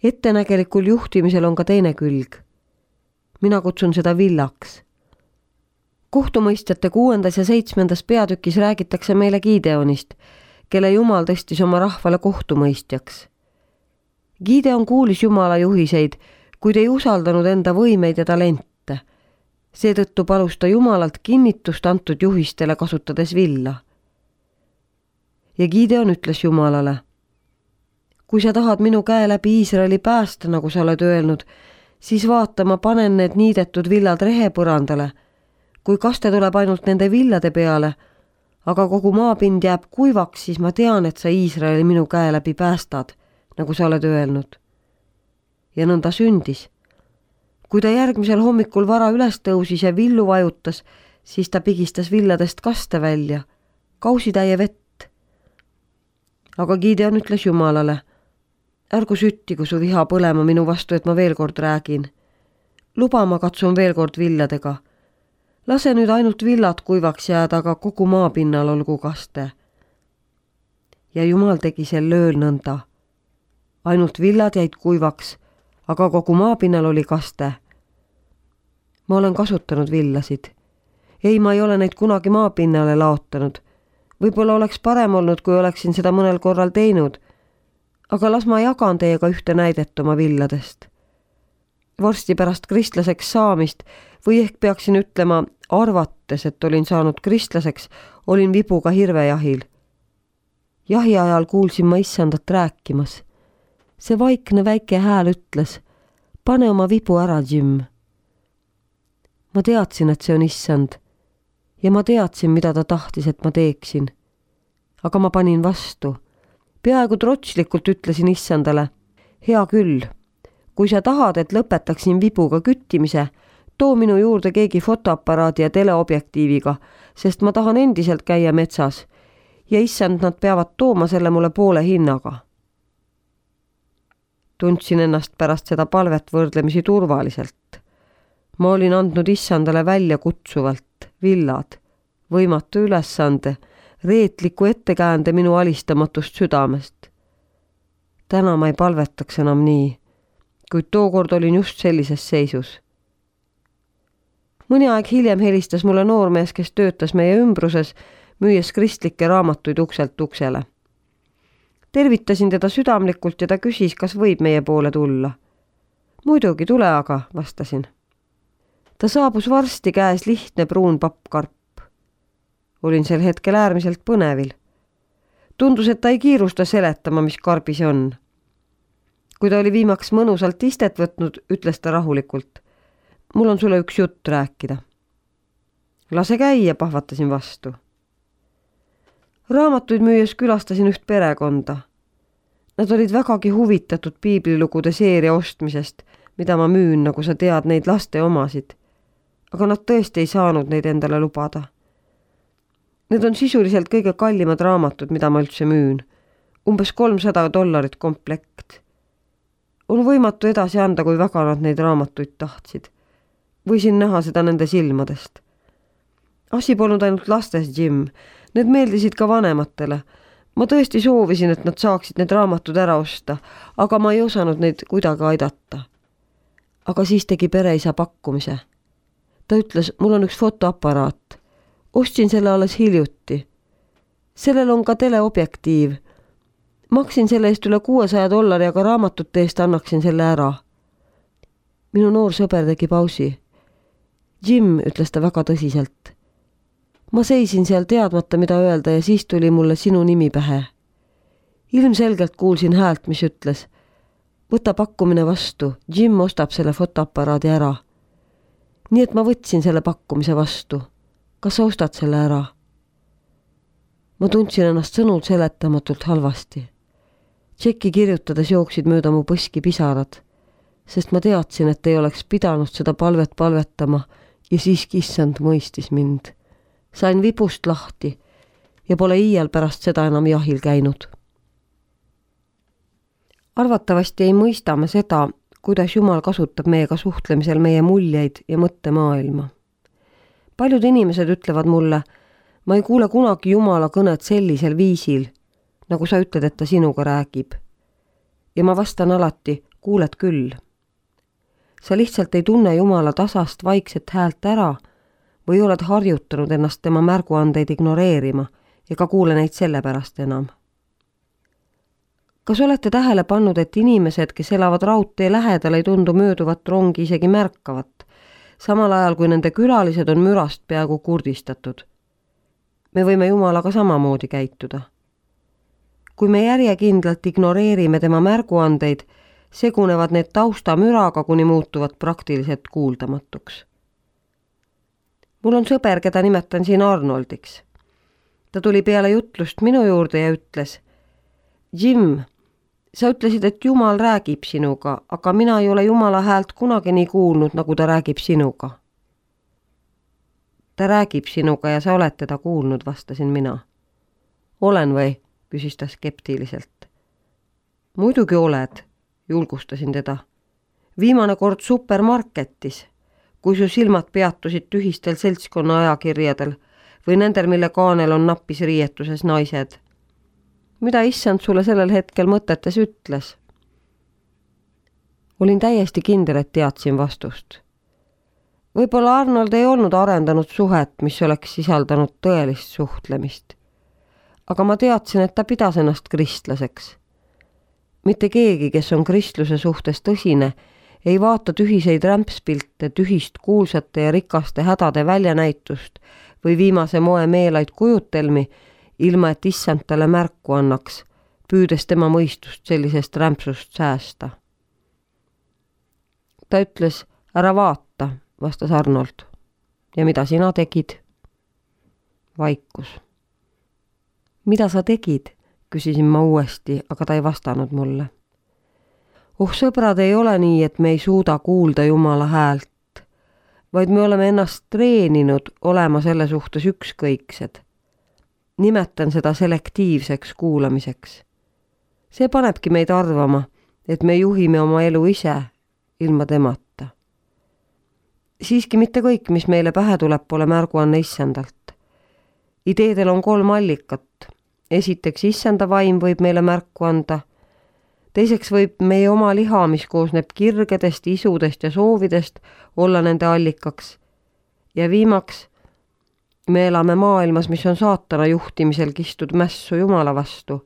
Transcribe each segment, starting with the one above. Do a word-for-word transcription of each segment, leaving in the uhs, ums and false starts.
Ettenägelikul juhtimisel on ka teine külg. Mina kutsun seda villaks. Kohtumõistjate kuuendas ja seitsmendas peatükis räägitakse meile Gideonist, kelle Jumal tõstis oma rahvale kohtumõistjaks. Gideon kuulis Jumala juhiseid, kuid ei usaldanud enda võimeid ja talente. Seetõttu palus ta Jumalalt kinnitust antud juhistele kasutades villa. Ja Gideon ütles Jumalale: kui sa tahad minu käe läbi Iisraeli päästa, nagu sa oled öelnud, siis vaata, ma panen need niidetud villad rehepõrandale. Kui kaste tuleb ainult nende villade peale, aga kogu maapind jääb kuivaks, siis ma tean, et sa Iisraeli minu käe läbi päästad, nagu sa oled öelnud. Ja nõnda sündis. Kui ta järgmisel hommikul vara üles tõusis ja villu vajutas, siis ta pigistas villadest kaste välja, kausitäie vett. Aga Gideon ütles Jumalale: ärgu süttigu su viha põlema minu vastu, et ma veel kord räägin. Luba, ma katsun veel kord villadega. Lase nüüd ainult villad kuivaks jääda, aga kogu maapinnal olgu kaste. Ja Jumal tegi sel ööl nõnda. Ainult villad jäid kuivaks, aga kogu maapinnal oli kaste. Ma olen kasutanud villasid. Ei, ma ei ole neid kunagi maapinnale laotanud. Võib-olla oleks parem olnud, kui oleksin seda mõnel korral teinud, aga las ma jagan teiega ühte näidet oma villadest. Varsti pärast kristlaseks saamist või ehk peaksin ütlema, arvates, et olin saanud kristlaseks, olin vibuga hirvejahil. Jahi ajal kuulsin ma issandat rääkimas. See vaikne väike hääl ütles: pane oma vibu ära, Jim. Ma teadsin, et see on issand ja ma teadsin, mida ta tahtis, et ma teeksin. Aga ma panin vastu. Peaaegu trotslikult ütlesin issandale: hea küll, kui sa tahad, et lõpetaksin vibuga küttimise, too minu juurde keegi fotoaparaadi ja teleobjektiiviga, sest ma tahan endiselt käia metsas ja issand, nad peavad tooma selle mulle poole hinnaga. Tundsin ennast pärast seda palvet võrdlemisi turvaliselt. Ma olin andnud issandale välja kutsuvalt villad, võimatu ülesande, reetliku ettekäände minu alistamatust südamest. Täna ma ei palvetaks enam nii, kuid tookord olin just sellises seisus. Mõni aeg hiljem helistas mulle noormees, kes töötas meie ümbruses, müües kristlikke raamatuid ukselt uksele. Tervitasin teda südamlikult ja ta küsis, kas võib meie poole tulla. Muidugi, tule aga, vastasin. Ta saabus varsti, käes lihtne pruun pappkarp. Olin sel hetkel äärmiselt põnevil. Tundus, et ta ei kiirusta seletama, mis karbis on. Kui ta oli viimaks mõnusalt istet võtnud, ütles ta rahulikult: mul on sulle üks jutt rääkida. Lase käia, pahvatasin vastu. Raamatuid müües külastasin üht perekonda. Nad olid vägagi huvitatud piiblilugude seeria ostmisest, mida ma müün, nagu sa tead, neid laste omasid. Aga nad tõesti ei saanud neid endale lubada. Need on sisuliselt kõige kallimad raamatud, mida ma üldse müün. Umbes kolmsada dollarit komplekt. On võimatu edasi anda, kui väga nad neid raamatuid tahtsid. Võisin näha seda nende silmadest. Asi polnud ainult lastes, Jim. Need meeldisid ka vanematele. Ma tõesti soovisin, et nad saaksid need raamatud ära osta, aga ma ei osanud neid kuidagi aidata. Aga siis tegi pereisa pakkumise. Ta ütles, mul on üks fotoaparaat. Ostsin selle alles hiljuti. Sellel on ka teleobjektiiv. Maksin selle eest üle kuuesaja dollari, aga raamatute eest annaksin selle ära. Minu noor sõber tegi pausi. Jim, ütles ta väga tõsiselt. Ma seisin seal teadmata, mida öelda ja siis tuli mulle sinu nimi pähe. Ilmselgelt kuulsin häält, mis ütles: võta pakkumine vastu, Jim ostab selle fotoaparaadi ära. Nii et ma võtsin selle pakkumise vastu. Kas sa ostad selle ära? Ma tundsin ennast sõnul seletamatult halvasti. Tšeki kirjutades jooksid mööda mu põski pisarad, sest ma teadsin, et ei oleks pidanud seda palvet palvetama ja siiski issand mõistis mind. Sain vipust lahti ja pole iial pärast seda enam jahil käinud. Arvatavasti ei mõista me seda, kuidas Jumal kasutab meiega suhtlemisel meie muljeid ja mõttemaailma. Paljud inimesed ütlevad mulle, ma ei kuule kunagi Jumala kõnet sellisel viisil, nagu sa ütled, et ta sinuga räägib. ja ma vastan alati, kuuled küll. Sa lihtsalt ei tunne Jumala tasast vaikset häält ära või oled harjutanud ennast tema märguandeid ignoreerima ega kuule neid sellepärast enam. Kas olete tähele pannud, et inimesed, kes elavad raudtee lähedal, ei tundu mööduvat rongi isegi märkavat, samal ajal kui nende külalised on mürast peaaegu kurdistatud? Me võime Jumalaga samamoodi käituda. Kui me järjekindlalt ignoreerime tema märguandeid, segunevad need taustamüraga, kuni muutuvad praktiliselt kuuldamatuks. Mul on sõber, keda nimetan siin Arnoldiks. Ta tuli peale jutlust minu juurde ja ütles, Jim, sa ütlesid, et Jumal räägib sinuga, aga mina ei ole Jumala häält kunagi nii kuulnud, nagu ta räägib sinuga. Ta räägib sinuga ja sa oled teda kuulnud, vastasin mina. Olen või? Küsis ta skeptiliselt. Muidugi oled, julgustasin teda. Viimane kord supermarketis, kui su silmad peatusid tühistel seltskonna ajakirjadel või nendel, mille kaanel on nappis riietuses naised. Mida issand sulle sellel hetkel mõtetes ütles? Olin täiesti kindel, et teadsin vastust. Võib-olla Arnold ei olnud arendanud suhet, mis oleks sisaldanud tõelist suhtlemist. Aga ma teadsin, et ta pidas ennast kristlaseks. Mitte keegi, kes on kristluse suhtes tõsine, ei vaata tühiseid rämpspilte, tühist kuulsate ja rikaste hädade väljanäitust või viimase moe meelaid kujutelmi, ilma et issand talle märku annaks, püüdes tema mõistust sellisest rämpsust säästa. Ta ütles, ära vaata, vastas Arnold. Ja mida sina tegid? Vaikus. Mida sa tegid? Küsisin ma uuesti, aga ta ei vastanud mulle. Oh sõbrad, ei ole nii, et me ei suuda kuulda Jumala häält, vaid me oleme ennast treeninud olema selle suhtes ükskõiksed. Nimetan seda selektiivseks kuulamiseks. See panebki meid arvama, et me juhime oma elu ise, ilma temata. Siiski mitte kõik, mis meile pähe tuleb, pole märguanne issandalt. Ideedel on kolm allikat. Esiteks issanda vaim võib meile märku anda. Teiseks võib meie oma liha, mis koosneb kirgedest, isudest ja soovidest, olla nende allikaks. Ja viimaks, me elame maailmas, mis on saatana juhtimisel kistud mässu Jumala vastu.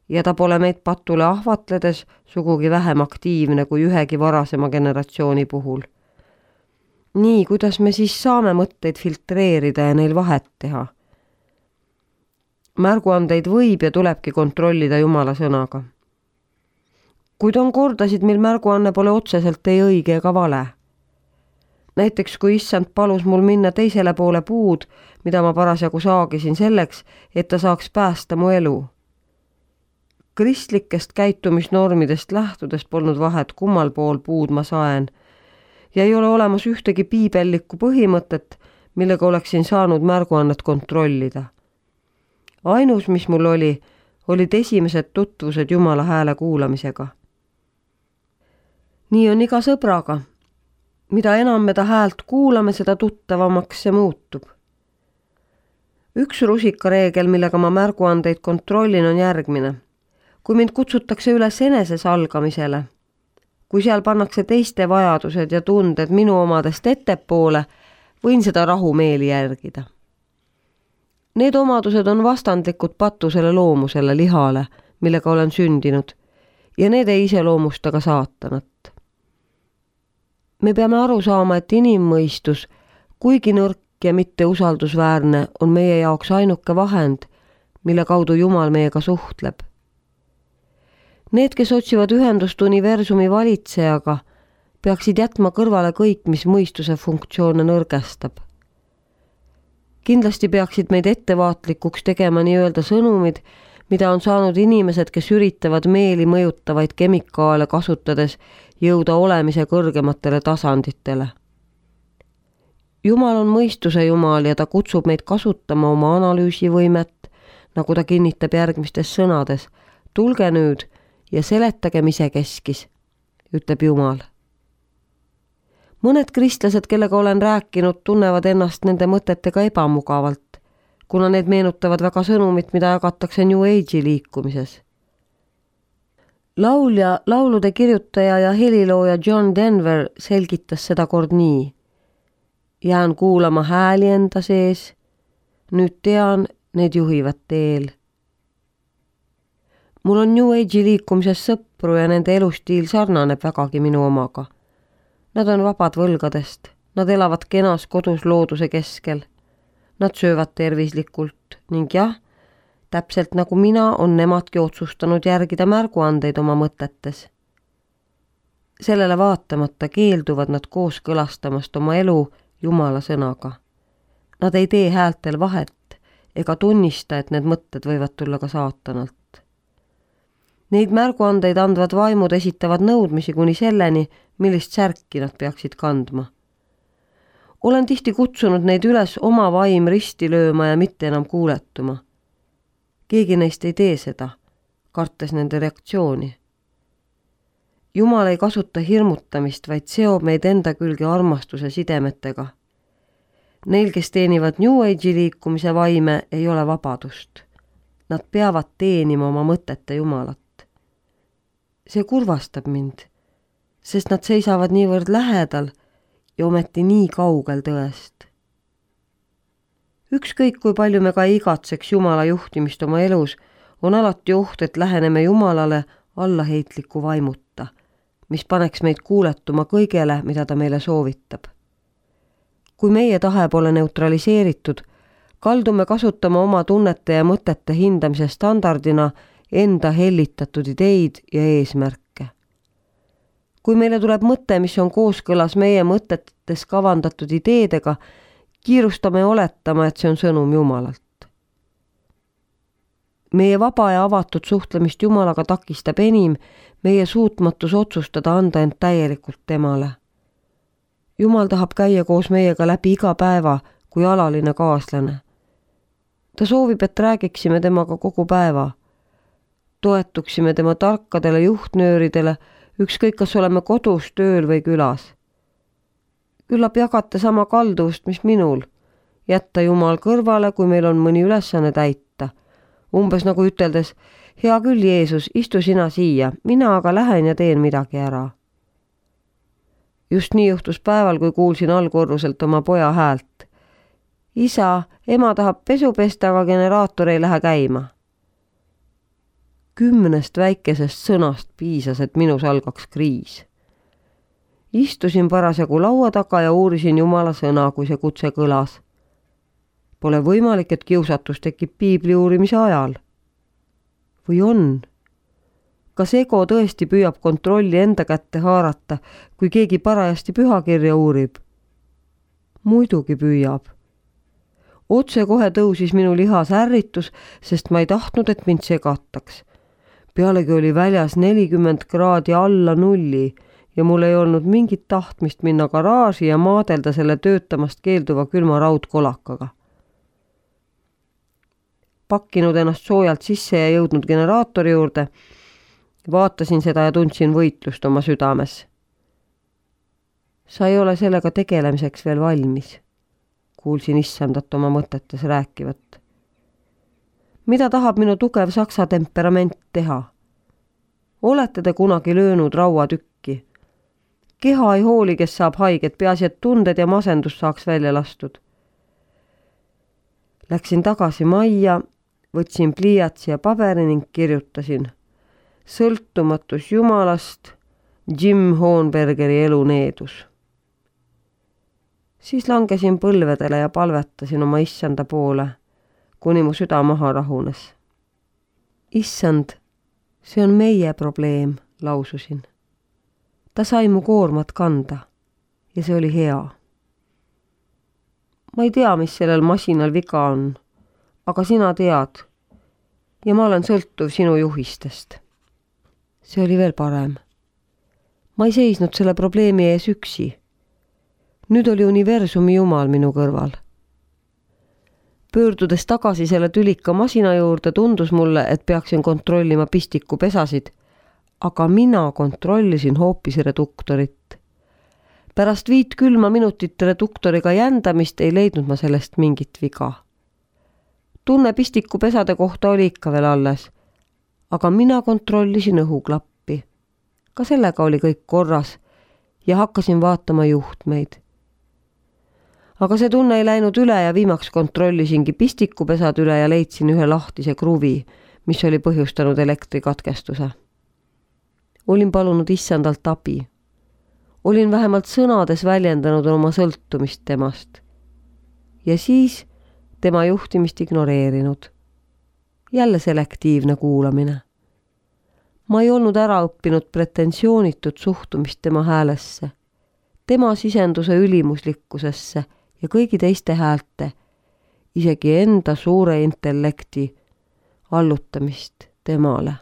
Ja ta pole meid patule ahvatledes sugugi vähem aktiivne kui ühegi varasema generatsiooni puhul. Nii, kuidas me siis saame mõtteid filtreerida ja neil vahet teha? Märguandeid võib ja tulebki kontrollida Jumala sõnaga. Kuid on kordasid, mil märguanne pole otseselt ei õige ega vale. Näiteks kui issand palus mul minna teisele poole puud, mida ma parasjagu saagisin selleks, et ta saaks päästa mu elu. Kristlikest käitumisnormidest lähtudes polnud vahet, kummal pool puud ma saen, ja ei ole olemas ühtegi piibellikku põhimõtet, millega oleksin saanud märguannet kontrollida. Ainus, mis mul oli, olid esimesed tutvused Jumala hääle kuulamisega. Nii on iga sõbraga. Mida enam me ta häält kuulame, seda tuttavamaks see muutub. Üks rusikareegel, millega ma märguandeid kontrollin, on järgmine. Kui mind kutsutakse üles eneses algamisele, kui seal pannakse teiste vajadused ja tunded minu omadest ettepoole, võin seda rahumeeli järgida. Need omadused on vastandlikud patusele loomusele, lihale, millega olen sündinud, ja need ei iseloomusta ka saatanat. Me peame aru saama, et inimmõistus, kuigi nõrk ja mitte usaldusväärne, on meie jaoks ainuke vahend, mille kaudu Jumal meiega suhtleb. Need, kes otsivad ühendust universumi valitsejaga, peaksid jätma kõrvale kõik, mis mõistuse funktsioone nõrgestab. Kindlasti peaksid meid ettevaatlikuks tegema nii-öelda sõnumid, mida on saanud inimesed, kes üritavad meeli mõjutavaid kemikaale kasutades jõuda olemise kõrgematele tasanditele. Jumal on mõistuse Jumal ja ta kutsub meid kasutama oma analüüsivõimet, nagu ta kinnitab järgmistes sõnades. Tulge nüüd ja seletagem isekeskis, ütleb Jumal. Mõned kristlased, kellega olen rääkinud, tunnevad ennast nende mõtetega ebamugavalt, kuna need meenutavad väga sõnumit, mida jagatakse New Age'i liikumises. Laulja, laulude kirjutaja ja helilooja John Denver selgitas seda kord nii. Jään kuulama hääli enda sees. Nüüd tean, need juhivad teel. Mul on New Age'i liikumises sõpru ja nende elustiil sarnaneb vägagi minu omaga. Nad on vabad võlgadest. Nad elavad kenas kodus looduse keskel. Nad söövad tervislikult ning jah, täpselt nagu mina on nemadki otsustanud järgida märguandeid oma mõtetes. Sellele vaatamata keelduvad nad kooskõlastamast oma elu Jumala sõnaga. Nad ei tee häältel vahet ega tunnista, et need mõtted võivad tulla ka saatanalt. Neid märguandeid andvad vaimud esitavad nõudmisi kuni selleni, millist särki nad peaksid kandma. Olen tihti kutsunud neid üles oma vaim risti lööma ja mitte enam kuuletuma. Keegi neist ei tee seda, kartes nende reaktsiooni. Jumal ei kasuta hirmutamist, vaid seob meid enda külge armastuse sidemetega. Neil, kes teenivad New Age'i liikumise vaime, ei ole vabadust. Nad peavad teenima oma mõtete Jumalat. See kurvastab mind, sest nad seisavad niivõrd lähedal ja ometi nii kaugel tõest. Ükskõik kui palju me ka igatseks Jumala juhtimist oma elus, on alati oht, et läheneme Jumalale allaheitliku vaimutta, mis paneks meid kuuletuma kõigele, mida ta meile soovitab. Kui meie tahe pole neutraliseeritud, kaldume kasutama oma tunnete ja mõtete hindamise standardina enda hellitatud ideid ja eesmärke. Kui meile tuleb mõte, mis on kooskõlas meie mõtetes kavandatud ideedega, kiirustame oletama, et see on sõnum Jumalalt. Meie vaba ja avatud suhtlemist Jumalaga takistab enim meie suutmatus otsustada anda end täielikult temale. Jumal tahab käia koos meiega läbi iga päeva kui alaline kaaslane. Ta soovib, et räägiksime temaga kogu päeva. Toetuksime tema tarkadele juhtnööridele, ükskõik kas oleme kodus, tööl või külas. Küllap jagate sama kalduvust, mis minul. Jätta Jumal kõrvale, kui meil on mõni ülesanne täita. Umbes nagu üteldes, hea küll, Jeesus, istu sina siia, mina aga lähen ja teen midagi ära. Just nii juhtus päeval, kui kuulsin allkorruselt oma poja häält. Isa, ema tahab pesu pesta, aga generaator ei lähe käima. Kümnest väikesest sõnast piisas, et minus algaks kriis. Istusin parasjagu laua taga ja uurisin Jumala sõna, kui see kutse kõlas. Pole võimalik, et kiusatus tekib piibli uurimise ajal. Või on? Kas ego tõesti püüab kontrolli enda kätte haarata, kui keegi parajasti pühakirja uurib? Muidugi püüab. Otse kohe tõusis minu lihas ärritus, sest ma ei tahtnud, et mind segataks. Pealegi oli väljas nelikümmend kraadi alla nulli ja mul ei olnud mingit tahtmist minna garaaži ja maadelda selle töötamast keelduva külma raudkolakaga. Pakkinud ennast soojalt sisse ja jõudnud generaatori juurde, vaatasin seda ja tundsin võitlust oma südames. Sa ei ole sellega tegelemiseks veel valmis, kuulsin issandat oma mõtetes rääkivat. Mida tahab minu tugev saksa temperament teha? Olete te kunagi löönud rauatükki? Keha ei hooli, kes saab haiget, peaasi, et tunded ja masendus saaks välja lastud. Läksin tagasi majja, võtsin pliiatsi ja paberi ning kirjutasin. Sõltumatus Jumalast, Jim Hohenbergeri elu needus. Siis langesin põlvedele ja palvetasin oma issanda poole, kuni mu süda maha rahunes. Issand, see on meie probleem, laususin. Ta sai mu koormat kanda ja see oli hea. Ma ei tea, mis sellel masinal viga on, aga sina tead ja ma olen sõltuv sinu juhistest. See oli veel parem. Ma ei seisnud selle probleemi ees üksi. Nüüd oli universumi Jumal minu kõrval. Pöördudes tagasi selle tülika masina juurde, tundus mulle, et peaksin kontrollima pistiku pesasid, aga mina kontrollisin hoopis reduktorit. Pärast viit külma minutit reduktoriga jändamist ei leidnud ma sellest mingit viga. Tunne pistiku pesade kohta oli ikka veel alles, aga mina kontrollisin õhuklappi. ka sellega oli kõik korras ja hakkasin vaatama juhtmeid. Aga see tunne ei läinud üle ja viimaks kontrollisingi pistikupesad üle ja leidsin ühe lahtise kruvi, mis oli põhjustanud elektrikatkestuse. Olin palunud issandalt abi. Olin vähemalt sõnades väljendanud oma sõltumist temast. Ja siis tema juhtimist ignoreerinud. Jälle selektiivne kuulamine. Ma ei olnud ära õppinud pretensioonitut suhtumist tema häälesse, tema sisenduse ülimuslikkusesse ja kõigi teiste häälte, isegi enda suure intellekti allutamist temale.